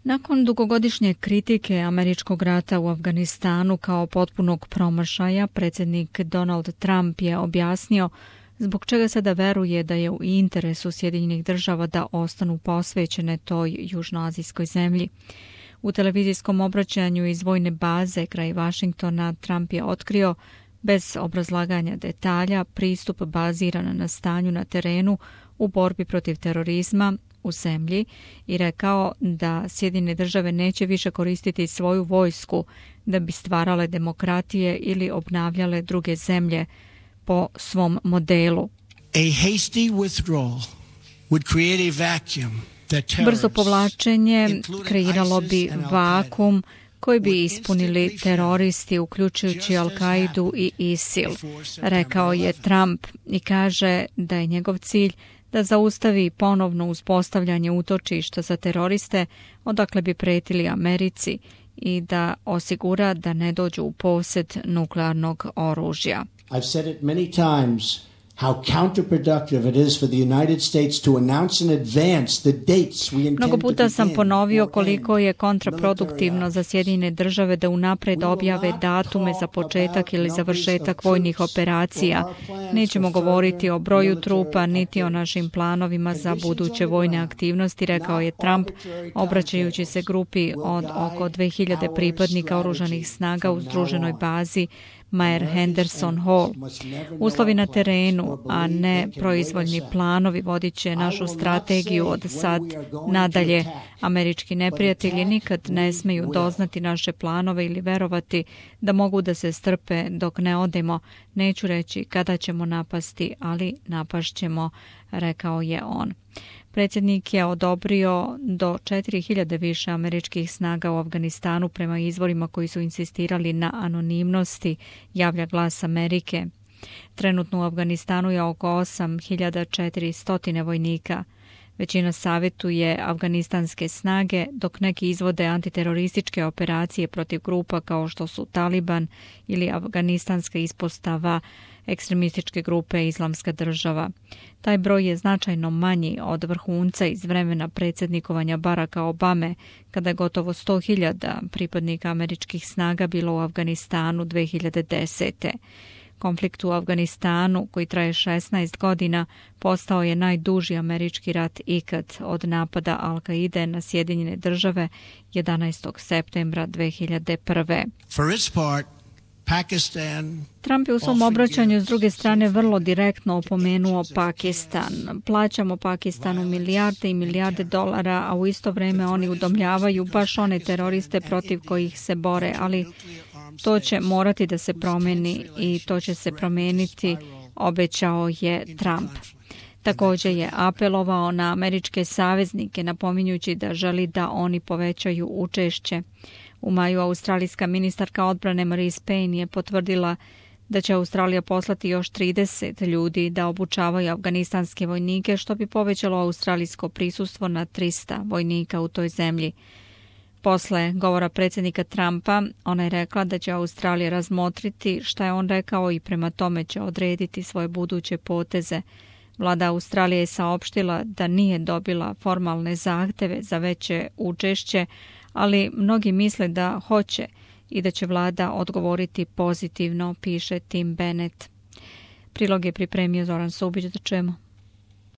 Nakon dugogodišnje kritike američkog rata u Afganistanu kao potpunog promašaja, predsjednik Donald Trump je objasnio zbog čega sada veruje da je u interesu Sjedinjenih Država da ostanu posvećene toj južnoazijskoj zemlji. U televizijskom obraćanju iz vojne baze kraj Vašingtona Trump je otkrio, bez obrazlaganja detalja, pristup baziran na stanju na terenu u borbi protiv terorizma u zemlji i rekao da Sjedinjene Države neće više koristiti svoju vojsku da bi stvarale demokratije ili obnavljale druge zemlje po svom modelu. Brzo povlačenje kreiralo bi vakum koji bi ispunili teroristi, uključujući Al-Kaidu i ISIL, rekao je Trump i kaže da je njegov cilj da zaustavi ponovno uspostavljanje utočišta za teroriste odakle bi pretili Americi i da osigura da ne dođu u posjed nuklearnog oružja. I've said it many times how counterproductive it is for the United States to announce in advance the dates we intend to begin. Mnogo puta sam ponovio koliko je kontraproduktivno za Sjedinjene Države da unapred objave datume za početak ili završetak vojnih operacija. Nećemo govoriti o broju trupa niti o našim planovima za buduće vojne aktivnosti, rekao je Trump, obraćajući se grupi od oko 2000 pripadnika oružanih snaga u združenoj bazi Mare Henderson Hall. Uslovi na terenu, a ne proizvoljni planovi, vodit će našu strategiju od sad nadalje. Američki neprijatelji nikad ne smeju doznati naše planove ili verovati da mogu da se strpe dok ne odemo. Neću reći kada ćemo napasti, ali napašćemo, rekao je on. Predsjednik je odobrio do 4000 više američkih snaga u Afganistanu prema izvorima koji su insistirali na anonimnosti, javlja Glas Amerike. Trenutno u Afganistanu je oko 8400 vojnika. Većina savjetuje afganistanske snage, dok neki izvode antiterorističke operacije protiv grupa kao što su Taliban ili afganistanska ispostava ekstremističke grupe Islamska država. Taj broj je značajno manji od vrhunca iz vremena predsjednikovanja Baracka Obame, kada je gotovo 100.000 pripadnika američkih snaga bilo u Afganistanu 2010. Konflikt u Afganistanu, koji traje 16 godina, postao je najduži američki rat ikad od napada Al-Kaide na Sjedinjene Države 11. septembra 2001. Trump je u svom obraćanju s druge strane vrlo direktno opomenuo Pakistan. Plaćamo Pakistanu milijarde i milijarde dolara, a u isto vrijeme oni udomljavaju baš one teroriste protiv kojih se bore, ali to će morati da se promeni i to će se promijeniti, obećao je Trump. Također je apelovao na američke saveznike, napominjući da želi da oni povećaju učešće. U maju australijska ministarka odbrane Marise Payne je potvrdila da će Australija poslati još 30 ljudi da obučavaju afganistanske vojnike, što bi povećalo australijsko prisustvo na 300 vojnika u toj zemlji. Posle govora predsjednika Trumpa, ona je rekla da će Australija razmotriti šta je on rekao i prema tome će odrediti svoje buduće poteze. Vlada Australije je saopštila da nije dobila formalne zahteve za veće učešće, ali mnogi misle da hoće i da će vlada odgovoriti pozitivno, piše Tim Bennett. Prilog je pripremio Zoran Subić, da čujemo.